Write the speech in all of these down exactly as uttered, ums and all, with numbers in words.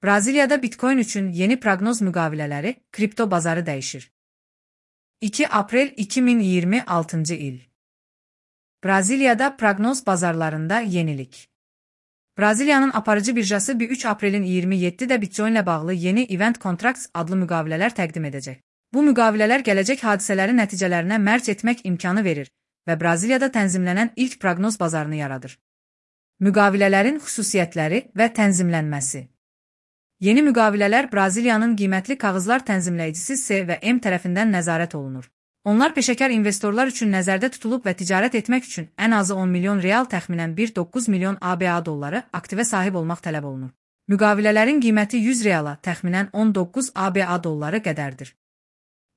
Braziliyada Bitcoin üçün yeni proqnoz müqavilələri, kripto bazarı dəyişir. iki aprel iki min iyirmi altıncı il. Braziliyada proqnoz bazarlarında yenilik. Braziliyanın aparıcı birjası B üç aprelin iyirmi yeddidə Bitcoin ilə bağlı yeni Event Contracts adlı müqavilələr təqdim edəcək. Bu müqavilələr gələcək hadisələri nəticələrinə mərc etmək imkanı verir və Braziliyada tənzimlənən ilk proqnoz bazarını yaradır. Müqavilələrin xüsusiyyətləri və tənzimlənməsi. Yeni müqavilələr Braziliyanın qiymətli kağızlar tənzimləyicisi C və M tərəfindən nəzarət olunur. Onlar peşəkar investorlar üçün nəzərdə tutulub və ticarət etmək üçün ən azı on milyon real təxminən bir nöqtə doqquz milyon A B A dolları aktivə sahib olmaq tələb olunur. Müqavilələrin qiyməti yüz reala təxminən on doqquz A B A dolları qədərdir.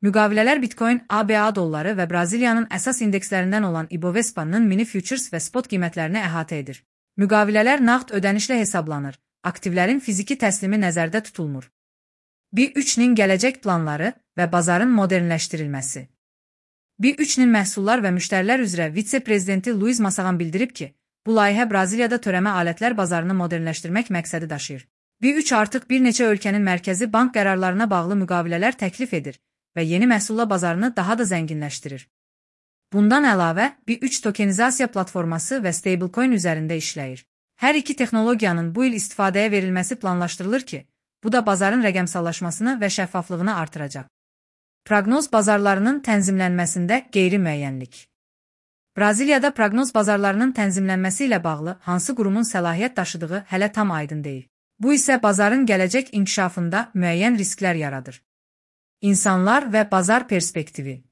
Müqavilələr Bitcoin, A B A dolları və Braziliyanın əsas indekslərindən olan Ibovespa-nın mini futures və spot qiymətlərini əhatə edir. Müqavilələr nağd ödənişlə hesablanır, aktivlərin fiziki təslimi nəzərdə tutulmur. B üçün gələcək planları və bazarın modernləşdirilməsi. B üçün məhsullar və müştərilər üzrə vitse-prezidenti Luiz Massaqan bildirib ki, bu layihə Braziliyada törəmə alətlər bazarını modernləşdirmək məqsədi daşıyır. B üç artıq bir neçə ölkənin mərkəzi bank qərarlarına bağlı müqavilələr təklif edir və yeni məhsulla bazarını daha da zənginləşdirir. Bundan əlavə, B üç tokenizasiya platforması və stablecoin üzərində işləyir. Hər iki texnologiyanın bu il istifadəyə verilməsi planlaşdırılır ki, bu da bazarın rəqəmsallaşmasını və şəffaflığını artıracaq. Proqnoz bazarlarının tənzimlənməsində qeyri-müəyyənlik. Braziliyada proqnoz bazarlarının tənzimlənməsi ilə bağlı hansı qurumun səlahiyyət daşıdığı hələ tam aydın deyil. Bu isə bazarın gələcək inkişafında müəyyən risklər yaradır. İnsanlar və bazar perspektivi.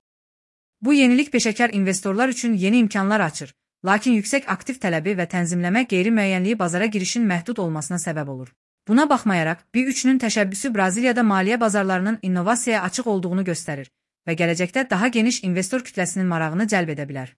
Bu yenilik peşəkar investorlar üçün yeni imkanlar açır, lakin yüksək aktiv tələbi və tənzimləmə qeyri-müəyyənliyi bazara girişin məhdud olmasına səbəb olur. Buna baxmayaraq, B üçün təşəbbüsü Braziliyada maliyyə bazarlarının innovasiyaya açıq olduğunu göstərir və gələcəkdə daha geniş investor kütləsinin marağını cəlb edə bilər.